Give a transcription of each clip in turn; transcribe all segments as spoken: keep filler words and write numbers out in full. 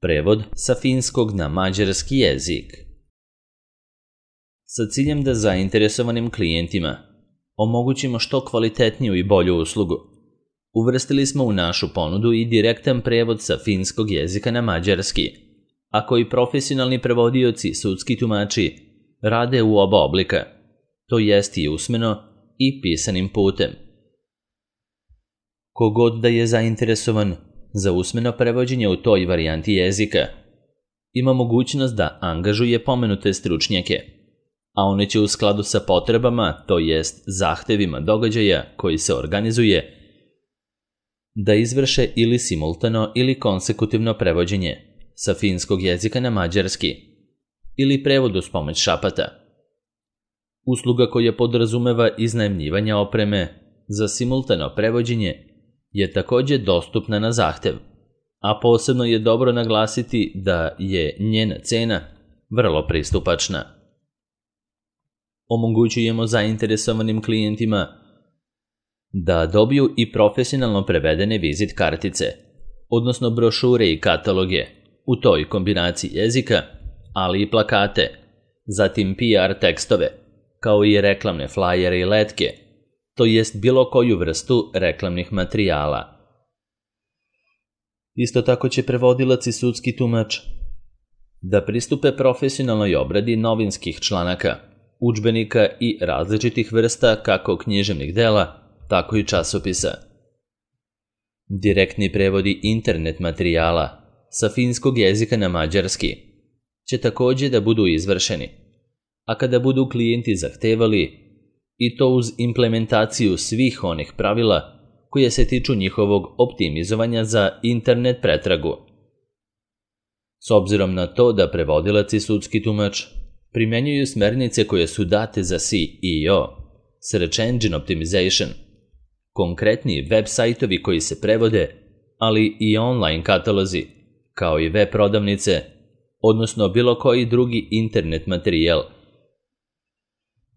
Prevod sa finskog na mađarski jezik. Sa ciljem da zainteresovanim klijentima omogućimo što kvalitetniju i bolju uslugu, uvrstili smo u našu ponudu i direktan prevod sa finskog jezika na mađarski, a koji profesionalni prevodioci i sudski tumači rade u oba oblika, to jest i usmeno i pisanim putem. Kogod da je zainteresovan za usmeno prevođenje u toj varijanti jezika, ima mogućnost da angažuje pomenute stručnjake, a one će u skladu sa potrebama, to jest zahtevima događaja koji se organizuje, da izvrše ili simultano ili konsekutivno prevođenje sa finskog jezika na mađarski ili prevod uz pomoć šapata. Usluga koja podrazumeva iznajmljivanje opreme za simultano prevođenje je također dostupna na zahtev, a posebno je dobro naglasiti da je njena cena vrlo pristupačna. Omogućujemo zainteresovanim klijentima da dobiju i profesionalno prevedene vizit kartice, odnosno brošure i kataloge u toj kombinaciji jezika, ali i plakate, zatim P R tekstove, kao i reklamne flajere i letke, to jest bilo koju vrstu reklamnih materijala. Isto tako će prevodilac i sudski tumač da pristupe profesionalnoj obradi novinskih članaka, udžbenika i različitih vrsta kako književnih dela, tako i časopisa. Direktni prevodi internet materijala sa finskog jezika na mađarski će također da budu izvršeni, a kada budu klijenti zahtevali, i to uz implementaciju svih onih pravila koje se tiču njihovog optimizovanja za internet pretragu. S obzirom na to da prevodilac i sudski tumač primjenjuju smernice koje su date za S E O, Search Engine Optimization, konkretni web sajtovi koji se prevode, ali i online katalozi, kao i web prodavnice, odnosno bilo koji drugi internet materijal,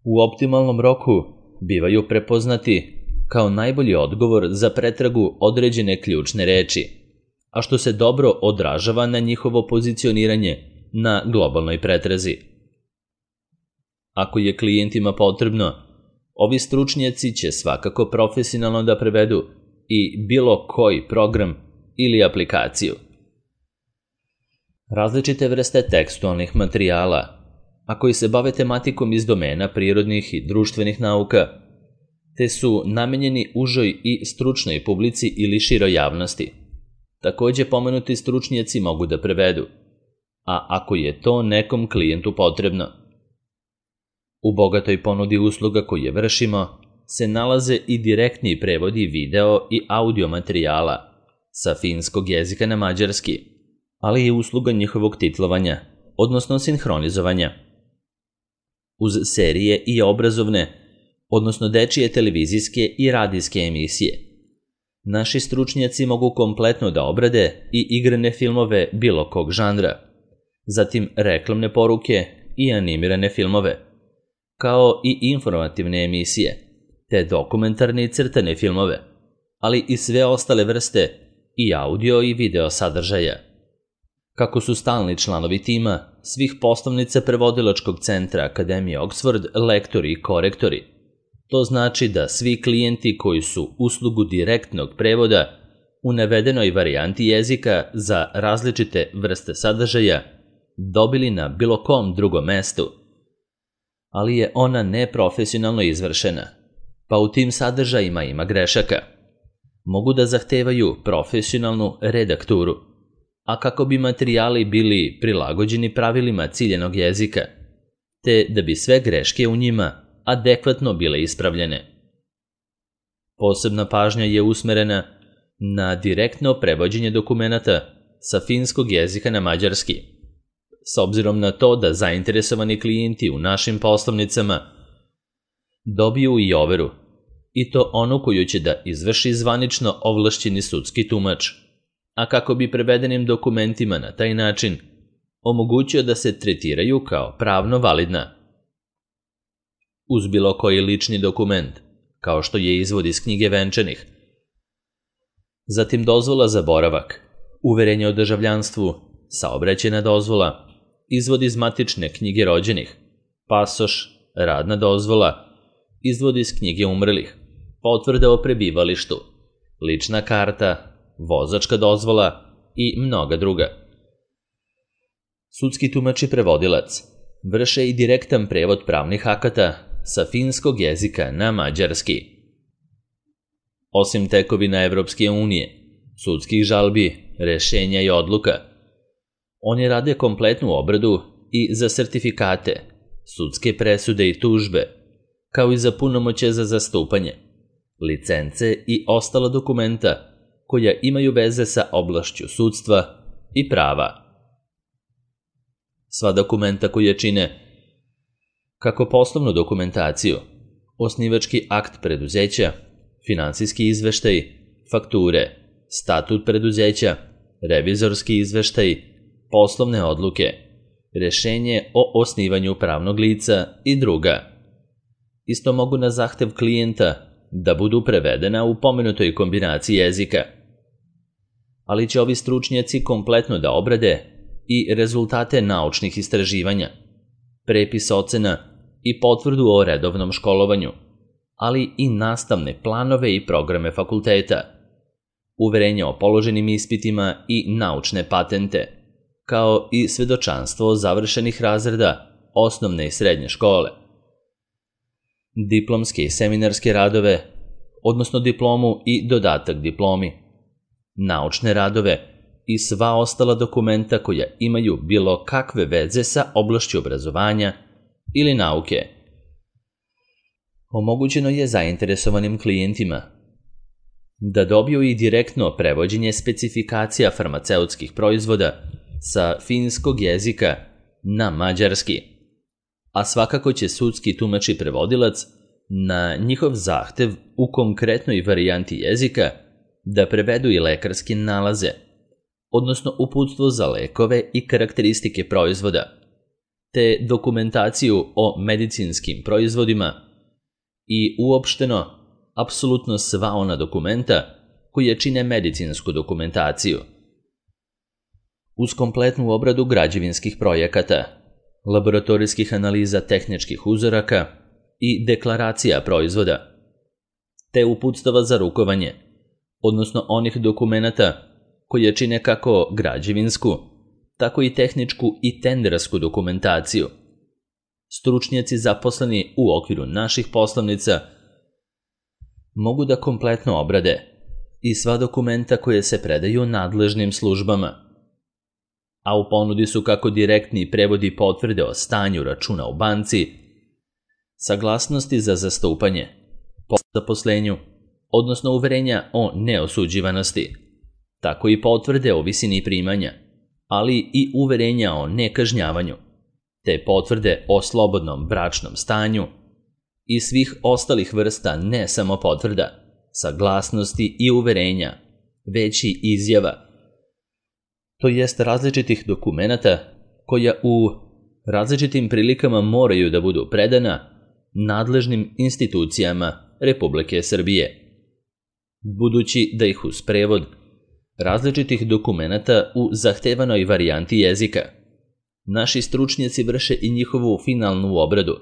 u optimalnom roku bivaju prepoznati kao najbolji odgovor za pretragu određene ključne reči, a što se dobro odražava na njihovo pozicioniranje na globalnoj pretrazi. Ako je klijentima potrebno, ovi stručnjaci će svakako profesionalno da prevedu i bilo koji program ili aplikaciju. Različite vrste tekstualnih materijala, a koji se bave tematikom iz domena prirodnih i društvenih nauka, te su namenjeni užoj i stručnoj publici ili široj javnosti. Također pomenuti stručnjaci mogu da prevedu, a ako je to nekom klijentu potrebno. U bogatoj ponudi usluga koje vršimo se nalaze i direktni prevodi video i audio materijala sa finskog jezika na mađarski, ali i usluga njihovog titlovanja, odnosno sinhronizovanja. Uz serije i obrazovne, odnosno dečije televizijske i radijske emisije, naši stručnjaci mogu kompletno da obrade i igrane filmove bilo kog žanra, zatim reklamne poruke i animirane filmove, kao i informativne emisije, te dokumentarne i crtane filmove, ali i sve ostale vrste i audio i video sadržaja. Kako su stalni članovi tima svih poslovnica prevodilačkog centra Akademije Oxford lektori i korektori, to znači da svi klijenti koji su uslugu direktnog prevoda u navedenoj varijanti jezika za različite vrste sadržaja dobili na bilo kom drugom mestu, ali je ona neprofesionalno izvršena, pa u tim sadržajima ima grešaka, mogu da zahtevaju profesionalnu redakturu, a kako bi materijali bili prilagođeni pravilima ciljenog jezika, te da bi sve greške u njima adekvatno bile ispravljene. Posebna pažnja je usmerena na direktno prevođenje dokumenata sa finskog jezika na mađarski, s obzirom na to da zainteresovani klijenti u našim poslovnicama dobiju i overu, i to onu koju će da izvrši zvanično ovlašćeni sudski tumač, a kako bi prevedenim dokumentima na taj način omogućio da se tretiraju kao pravno validna. Uz bilo koji lični dokument, kao što je izvod iz knjige venčanih, zatim dozvola za boravak, uverenje o državljanstvu, saobraćajna dozvola, izvod iz matične knjige rođenih, pasoš, radna dozvola, izvod iz knjige umrlih, potvrda o prebivalištu, lična karta, vozačka dozvola i mnoga druga. Sudski tumač i prevodilac vrše i direktan prevod pravnih akata sa finskog jezika na mađarski. Osim tekovina Evropske unije, sudskih žalbi, rešenja i odluka, oni rade kompletnu obradu i za sertifikate, sudske presude i tužbe, kao i za punomoćje za zastupanje, licence i ostala dokumenta koja imaju veze sa oblašću sudstva i prava. Sva dokumenta koje čine kako poslovnu dokumentaciju, osnivački akt preduzeća, finansijski izveštaj, fakture, statut preduzeća, revizorski izveštaj, poslovne odluke, rešenje o osnivanju pravnog lica i druga. Isto mogu na zahtev klijenta da budu prevedena u pomenutoj kombinaciji jezika. Ali će ovi stručnjaci kompletno da obrade i rezultate naučnih istraživanja, prepis ocena i potvrdu o redovnom školovanju, ali i nastavne planove i programe fakulteta, uverenja o položenim ispitima i naučne patente, kao i svedočanstvo završenih razreda osnovne i srednje škole, diplomske i seminarske radove, odnosno diplomu i dodatak diplomi, naučne radove i sva ostala dokumenta koja imaju bilo kakve veze sa oblašću obrazovanja ili nauke. Omogućeno je zainteresovanim klijentima da dobiju i direktno prevođenje specifikacija farmaceutskih proizvoda sa finskog jezika na mađarski, a svakako će sudski tumač i prevodilac na njihov zahtev u konkretnoj varijanti jezika da prevedu i lekarske nalaze, odnosno uputstvo za lekove i karakteristike proizvoda, te dokumentaciju o medicinskim proizvodima i uopšteno apsolutno sva ona dokumenta koje čine medicinsku dokumentaciju. Uz kompletnu obradu građevinskih projekata, laboratorijskih analiza tehničkih uzoraka i deklaracija proizvoda, te uputstava za rukovanje, odnosno onih dokumenata koje čine kako građevinsku, tako i tehničku i tendersku dokumentaciju. Stručnjaci zaposleni u okviru naših poslovnica mogu da kompletno obrade i sva dokumenta koje se predaju nadležnim službama, a u ponudi su kako direktni prevodi potvrde o stanju računa u banci, saglasnosti za zastupanje, po zaposlenju, odnosno uverenja o neosuđivanosti, tako i potvrde o visini primanja, ali i uverenja o nekažnjavanju, te potvrde o slobodnom bračnom stanju i svih ostalih vrsta ne samo potvrda, saglasnosti i uverenja, već i izjava, to jest različitih dokumenata koja u različitim prilikama moraju da budu predana nadležnim institucijama Republike Srbije, budući da ih uz prevod različitih dokumenata u zahtevanoj varijanti jezika naši stručnjaci vrše i njihovu finalnu obradu,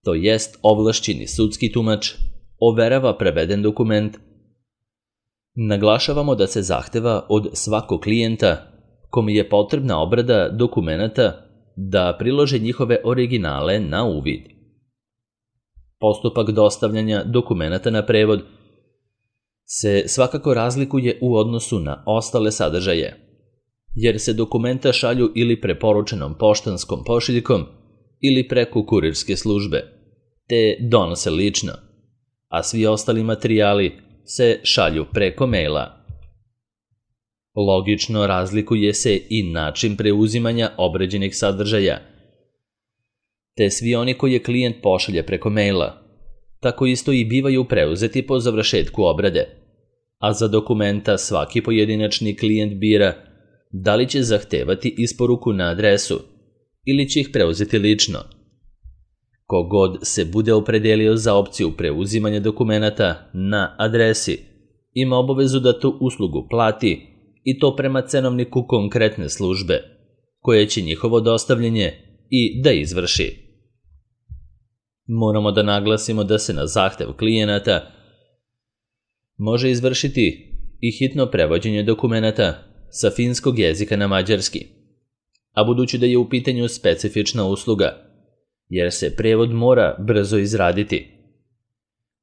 to jest ovlašćeni sudski tumač overava preveden dokument. Naglašavamo da se zahteva od svakog klijenta kome je potrebna obrada dokumenata da prilože njihove originale na uvid. Postupak dostavljanja dokumenata na prevod se svakako razlikuje u odnosu na ostale sadržaje, jer se dokumenta šalju ili preporučenom poštanskom pošiljkom ili preko kurirske službe, te donose lično, a svi ostali materijali se šalju preko maila. Logično razlikuje se i način preuzimanja obrađenih sadržaja, te svi oni koje klijent pošalje preko maila, tako isto i bivaju preuzeti po završetku obrade, a za dokumenta svaki pojedinačni klijent bira da li će zahtevati isporuku na adresu ili će ih preuzeti lično. Kogod se bude opredelio za opciju preuzimanja dokumenata na adresi ima obavezu da tu uslugu plati i to prema cenovniku konkretne službe, koje će njihovo dostavljanje i da izvrši. Moramo da naglasimo da se na zahtev klijenata može izvršiti i hitno prevođenje dokumenata sa finskog jezika na mađarski, a budući da je u pitanju specifična usluga, jer se prevod mora brzo izraditi,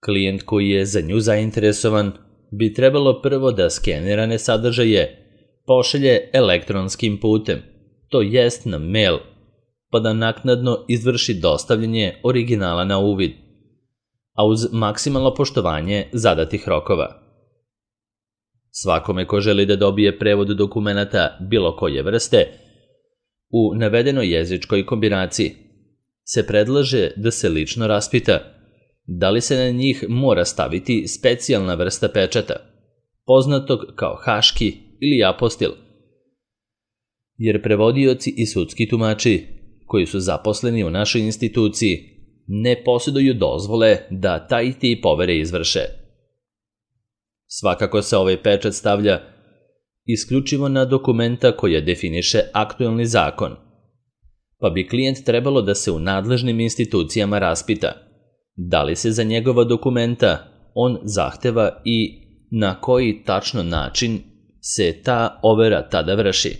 klijent koji je za nju zainteresovan bi trebalo prvo da skenirane sadržaje pošalje elektronskim putem, to jest na mail, pa da naknadno izvrši dostavljanje originala na uvid, a uz maksimalno poštovanje zadatih rokova. Svakome ko želi da dobije prevod dokumenata bilo koje vrste, u navedenoj jezičkoj kombinaciji se predlaže da se lično raspita da li se na njih mora staviti specijalna vrsta pečata, poznatog kao haški ili apostil, jer prevodioci i sudski tumači koji su zaposleni u našoj instituciji ne posjeduju dozvole da taj tip overe izvrše. Svakako se ovaj pečat stavlja isključivo na dokumenta koje definiše aktuelni zakon, pa bi klijent trebalo da se u nadležnim institucijama raspita da li se za njegova dokumenta on zahteva i na koji tačno način se ta overa tada vrši.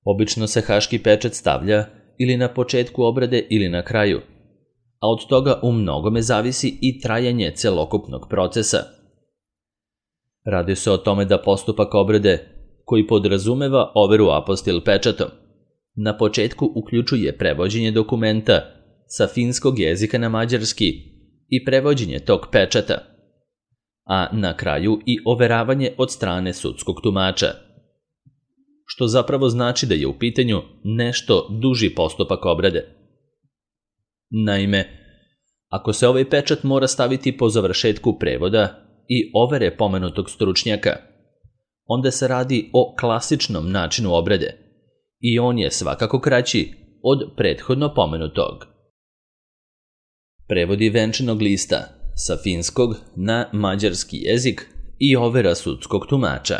Obično se haški pečat stavlja ili na početku obrade ili na kraju, a od toga u mnogome zavisi i trajanje celokupnog procesa. Radi se o tome da postupak obrade, koji podrazumeva overu apostil pečatom, na početku uključuje prevođenje dokumenta sa finskog jezika na mađarski i prevođenje tog pečata, a na kraju i overavanje od strane sudskog tumača, što zapravo znači da je u pitanju nešto duži postupak obrade. Naime, ako se ovaj pečat mora staviti po završetku prevoda i overe pomenutog stručnjaka, onda se radi o klasičnom načinu obrade i on je svakako kraći od prethodno pomenutog. Prevodi venčanog lista sa finskog na mađarski jezik i overa sudskog tumača.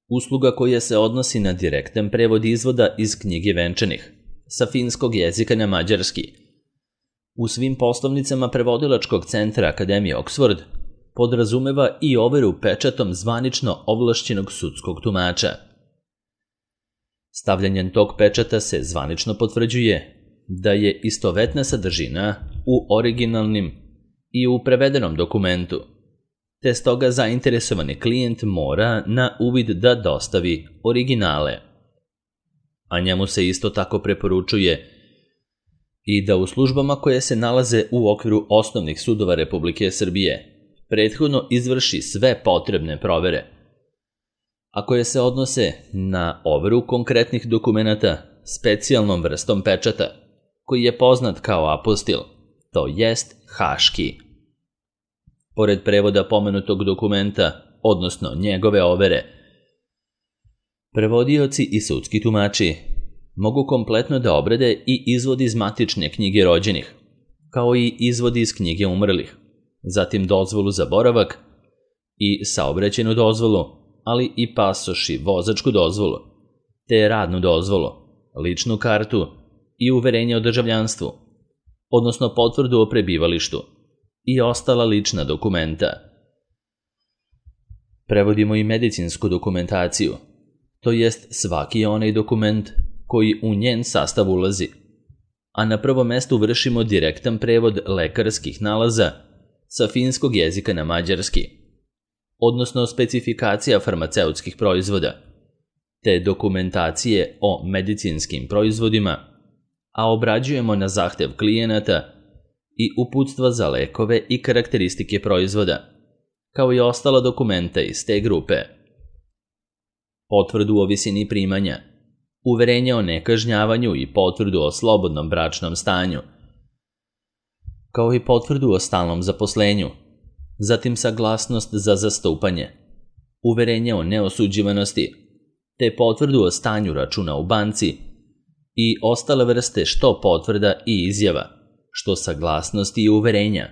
Usluga koja se odnosi na direktan prevod izvoda iz knjige venčanih sa finskog jezika na mađarski u svim poslovnicama prevodilačkog centra Akademije Oxford podrazumeva i overu pečatom zvanično ovlašćenog sudskog tumača. Stavljanjem tog pečata se zvanično potvrđuje da je istovetna sadržina u originalnim i u prevedenom dokumentu, te stoga zainteresovani klijent mora na uvid da dostavi originale. A njemu se isto tako preporučuje i da u službama koje se nalaze u okviru osnovnih sudova Republike Srbije prethodno izvrši sve potrebne provere, a koje se odnose na overu konkretnih dokumenata specijalnom vrstom pečata, koji je poznat kao apostil, to jest haški. Pored prevoda pomenutog dokumenta, odnosno njegove overe, prevodioci i sudski tumači mogu kompletno da obrade i izvod iz matične knjige rođenih, kao i izvod iz knjige umrlih, zatim dozvolu za boravak i saobraćajnu dozvolu, ali i pasoš i vozačku dozvolu, te radnu dozvolu, ličnu kartu i uverenje o državljanstvu, odnosno potvrdu o prebivalištu i ostala lična dokumenta. Prevodimo i medicinsku dokumentaciju, to jest svaki onaj dokument koji u njen sastav ulazi, a na prvom mestu vršimo direktan prevod lekarskih nalaza sa finskog jezika na mađarski, odnosno specifikacija farmaceutskih proizvoda, te dokumentacije o medicinskim proizvodima, a obrađujemo na zahtev klijenata i uputstva za lekove i karakteristike proizvoda, kao i ostala dokumenta iz te grupe. Potvrdu o visini primanja, uverenje o nekažnjavanju i potvrdu o slobodnom bračnom stanju, kao i potvrdu o stalnom zaposlenju, zatim saglasnost za zastupanje, uverenje o neosuđivanosti, te potvrdu o stanju računa u banci i ostale vrste što potvrda i izjava, što saglasnosti i uverenja,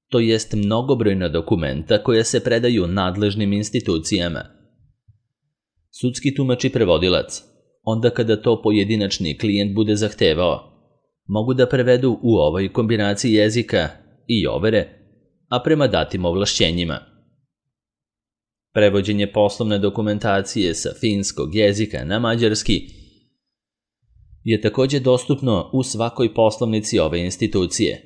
to jest mnogobrojna dokumenta koja se predaju nadležnim institucijama. Sudski tumač i prevodilac, onda kada to pojedinačni klijent bude zahtevao, mogu da prevedu u ovoj kombinaciji jezika i overe, a prema datim ovlašćenjima. Prevođenje poslovne dokumentacije sa finskog jezika na mađarski je također dostupno u svakoj poslovnici ove institucije,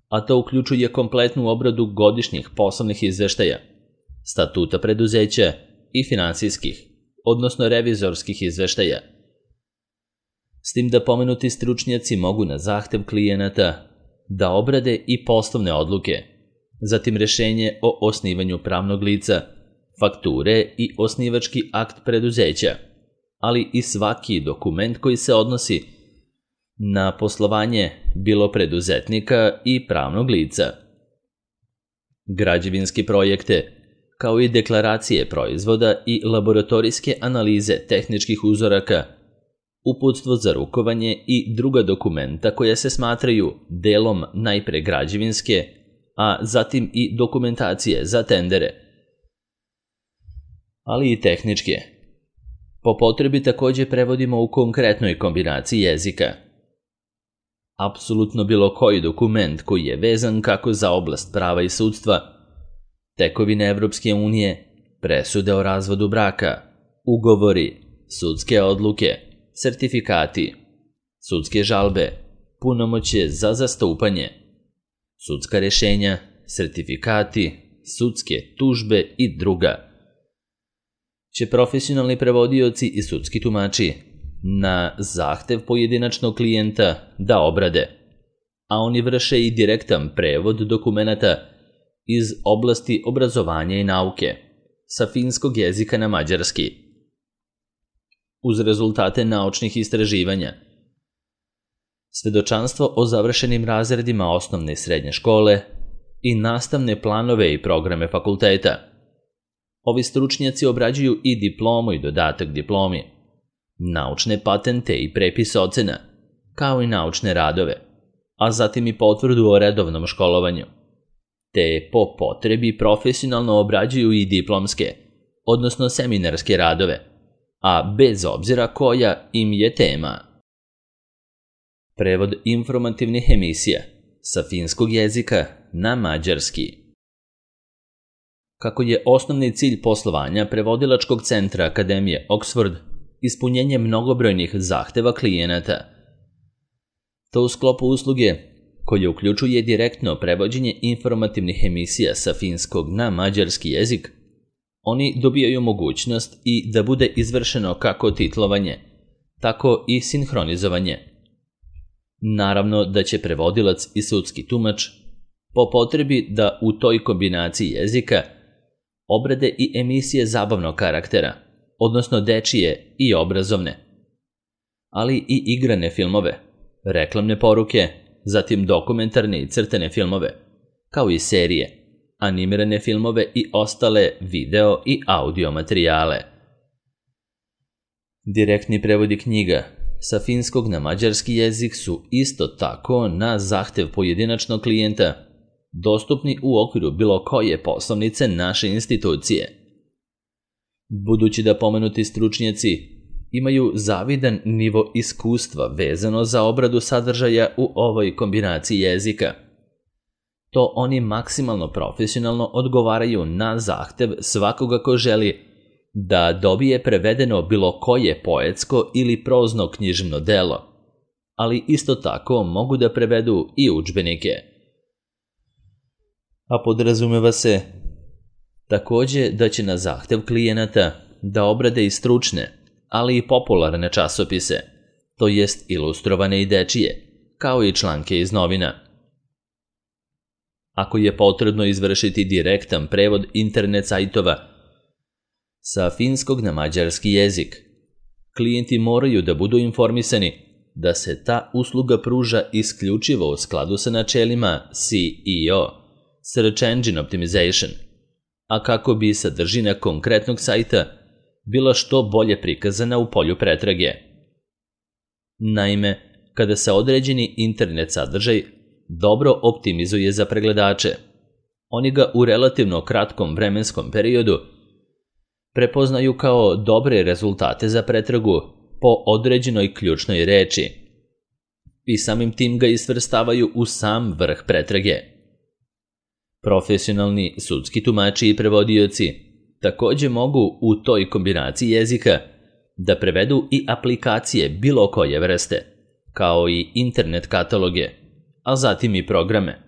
a to uključuje kompletnu obradu godišnjih poslovnih izveštaja, statuta preduzeća i finansijskih, odnosno revizorskih izveštaja. S tim da pomenuti stručnjaci mogu na zahtev klijenata da obrade i poslovne odluke, zatim rešenje o osnivanju pravnog lica, fakture i osnivački akt preduzeća, ali i svaki dokument koji se odnosi na poslovanje bilo preduzetnika i pravnog lica. Građevinski projekte, kao i deklaracije proizvoda i laboratorijske analize tehničkih uzoraka, uputstvo za rukovanje i druga dokumenta koja se smatraju delom najpre građevinske, a zatim i dokumentacije za tendere, ali i tehničke. Po potrebi također prevodimo u konkretnoj kombinaciji jezika. Apsolutno bilo koji dokument koji je vezan kako za oblast prava i sudstva, tekovine Evropske unije, presude o razvodu braka, ugovori, sudske odluke, sertifikati, sudske žalbe, punomoćje za zastupanje, sudska rešenja, sertifikati, sudske tužbe i druga, će profesionalni prevodioci i sudski tumači na zahtev pojedinačnog klijenta da obrade, a oni vrše i direktan prevod dokumenata iz oblasti obrazovanja i nauke sa finskog jezika na mađarski, uz rezultate naučnih istraživanja, svedočanstvo o završenim razredima osnovne i srednje škole i nastavne planove i programe fakulteta. Ovi stručnjaci obrađuju i diplomu i dodatak diplomi, naučne patente i prepis ocena, kao i naučne radove, a zatim i potvrdu o redovnom školovanju, te po potrebi profesionalno obrađuju i diplomske, odnosno seminarske radove, a bez obzira koja im je tema. Prevod informativnih emisija sa finskog jezika na mađarski. Kako je osnovni cilj poslovanja prevodilačkog centra Akademije Oxford ispunjenje mnogobrojnih zahteva klijenata, to u sklopu usluge koje uključuje direktno prevođenje informativnih emisija sa finskog na mađarski jezik, oni dobijaju mogućnost i da bude izvršeno kako titlovanje, tako i sinhronizovanje. Naravno da će prevodilac i sudski tumač po potrebi da u toj kombinaciji jezika obrade i emisije zabavnog karaktera, odnosno dečije i obrazovne, ali i igrane filmove, reklamne poruke, zatim dokumentarne i crtane filmove, kao i serije, animirane filmove i ostale video i audio materijale. Direktni prevodi knjiga sa finskog na mađarski jezik su isto tako na zahtev pojedinačnog klijenta dostupni u okviru bilo koje poslovnice naše institucije. Budući da pomenuti stručnjaci imaju zavidan nivo iskustva vezano za obradu sadržaja u ovoj kombinaciji jezika, to oni maksimalno profesionalno odgovaraju na zahtev svakoga ko želi da dobije prevedeno bilo koje poetsko ili prozno književno delo, ali isto tako mogu da prevedu i udžbenike. A podrazumeva se također da će na zahtev klijenata da obrade i stručne, ali i popularne časopise, to jest ilustrovane i dečije, kao i članke iz novina. Ako je potrebno izvršiti direktan prevod internet sajtova sa finskog na mađarski jezik, klijenti moraju da budu informisani da se ta usluga pruža isključivo u skladu sa načelima C E O, Search Engine Optimization, a kako bi sadržina konkretnog sajta bila što bolje prikazana u polju pretrage. Naime, kada se određeni internet sadržaj dobro optimizuje za pregledače, Oni ga u relativno kratkom vremenskom periodu prepoznaju kao dobre rezultate za pretragu po određenoj ključnoj reči i samim tim ga isvrstavaju u sam vrh pretrage. Profesionalni sudski tumači i prevodioci također mogu u toj kombinaciji jezika da prevedu i aplikacije bilo koje vrste, kao i internet kataloge, a zatim i programe,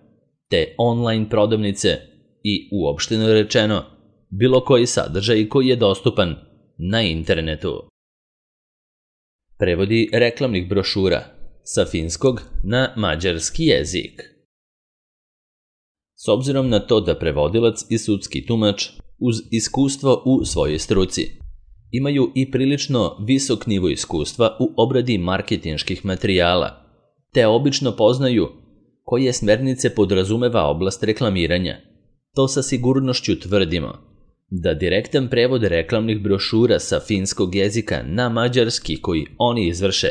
te online prodavnice i uopšteno rečeno bilo koji sadržaj koji je dostupan na internetu. Prevodi reklamnih brošura sa finskog na mađarski jezik. S obzirom na to da prevodilac i sudski tumač uz iskustvo u svojoj struci imaju i prilično visok nivo iskustva u obradi marketinških materijala, te obično poznaju koje smernice podrazumeva oblast reklamiranja. To sa sigurnošću tvrdimo da direktan prevod reklamnih brošura sa finskog jezika na mađarski koji oni izvrše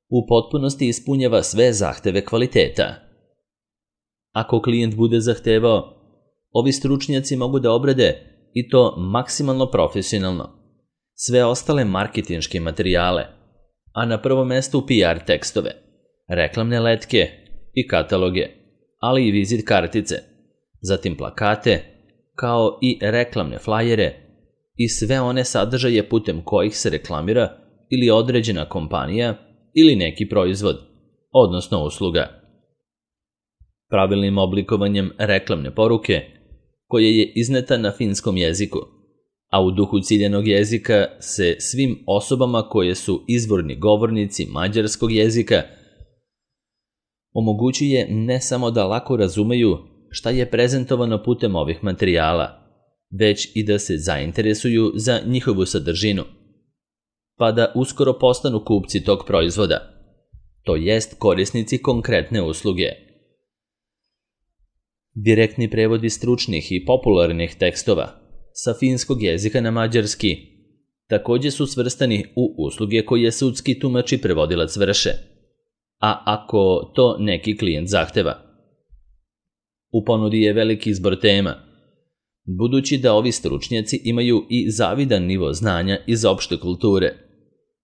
u potpunosti ispunjava sve zahteve kvaliteta. Ako klijent bude zahtevao, ovi stručnjaci mogu da obrade i to maksimalno profesionalno sve ostale marketinške materijale, a na prvom mestu P R tekstove, reklamne letke i kataloge, ali i vizit kartice, zatim plakate, kao i reklamne flajere i sve one sadržaje putem kojih se reklamira ili određena kompanija ili neki proizvod, odnosno usluga. Pravilnim oblikovanjem reklamne poruke, koja je izneta na finskom jeziku, a u duhu ciljanog jezika se svim osobama koje su izvorni govornici mađarskog jezika omogućuje ne samo da lako razumeju šta je prezentovano putem ovih materijala, već i da se zainteresuju za njihovu sadržinu, pa da uskoro postanu kupci tog proizvoda, to jest korisnici konkretne usluge. Direktni prevodi stručnih i popularnih tekstova sa finskog jezika na mađarski također su svrstani u usluge koje sudski tumač i prevodilac vrše, a ako to neki klijent zahteva. U ponudi je veliki izbor tema, budući da ovi stručnjaci imaju i zavidan nivo znanja iz opšte kulture,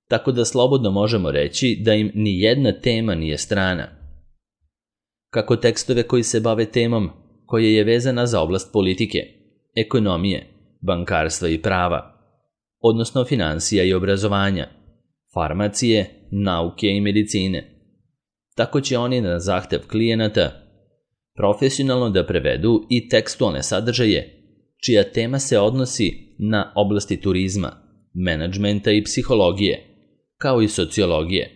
tako da slobodno možemo reći da im ni jedna tema nije strana. Kako tekstove koji se bave temom koja je vezana za oblast politike, ekonomije, bankarstva i prava, odnosno financija i obrazovanja, farmacije, nauke i medicine. Tako će oni na zahtev klijenata profesionalno da prevedu i tekstualne sadržaje čija tema se odnosi na oblasti turizma, menadžmenta i psihologije, kao i sociologije.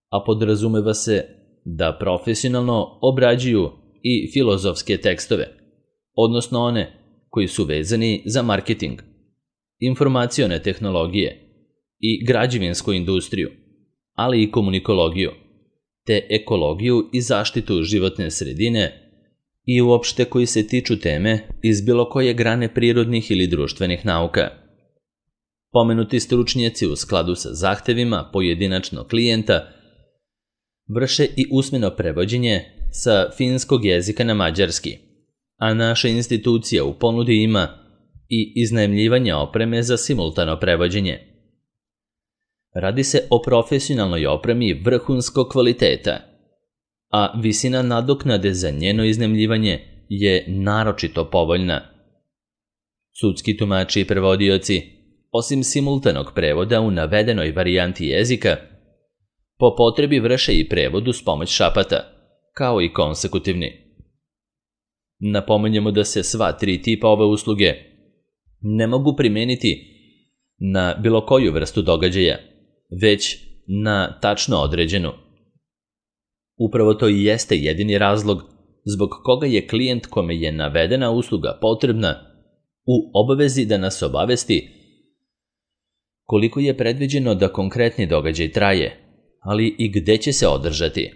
A podrazumeva se da profesionalno obrađuju i filozofske tekstove, odnosno one koji su vezani za marketing, informacione tehnologije i građevinsku industriju, ali i komunikologiju, te ekologiju i zaštitu životne sredine i uopšte koji se tiču teme iz bilo koje grane prirodnih ili društvenih nauka. Pomenuti stručnjaci u skladu sa zahtevima pojedinačnog klijenta vrše i usmeno prevođenje sa finskog jezika na mađarski, a naša institucija u ponudi ima i iznajmljivanje opreme za simultano prevođenje. Radi se o profesionalnoj opremi vrhunskog kvaliteta, a visina nadoknade za njeno iznajmljivanje je naročito povoljna. Sudski tumači i prevodioci, osim simultanog prevoda u navedenoj varijanti jezika, po potrebi vrše i prevod uz pomoć šapata, kao i konsekutivni. Napomenjemo da se sva tri tipa ove usluge ne mogu primeniti na bilo koju vrstu događaja, već na tačno određenu. Upravo to i jeste jedini razlog zbog koga je klijent kome je navedena usluga potrebna u obavezi da nas obavesti koliko je predviđeno da konkretni događaj traje, ali i gde će se održati.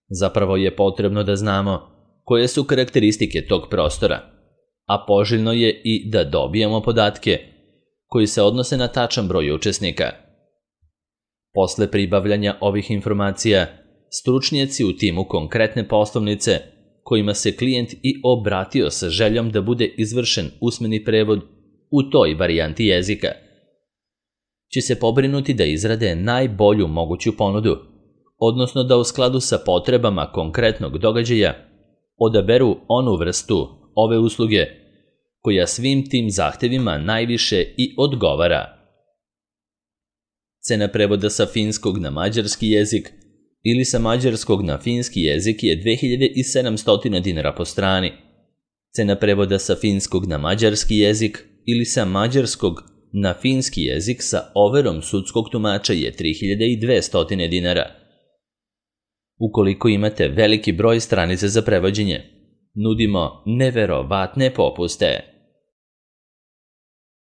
Zapravo je potrebno da znamo koje su karakteristike tog prostora, a poželjno je i da dobijemo podatke koji se odnose na tačan broj učesnika. Posle pribavljanja ovih informacija, stručnjaci u timu konkretne poslovnice kojima se klijent i obratio sa željom da bude izvršen usmeni prevod u toj varijanti jezika, će se pobrinuti da izrade najbolju moguću ponudu, odnosno da u skladu sa potrebama konkretnog događaja odaberu onu vrstu ove usluge koja svim tim zahtevima najviše i odgovara. Cena prevoda sa finskog na mađarski jezik ili sa mađarskog na finski jezik je dve hiljade sedamsto dinara po strani. Cena prevoda sa finskog na mađarski jezik ili sa mađarskog na finski jezik sa overom sudskog tumača je tri hiljade dvesta dinara. Ukoliko imate veliki broj stranica za prevođenje, nudimo neverovatne popuste.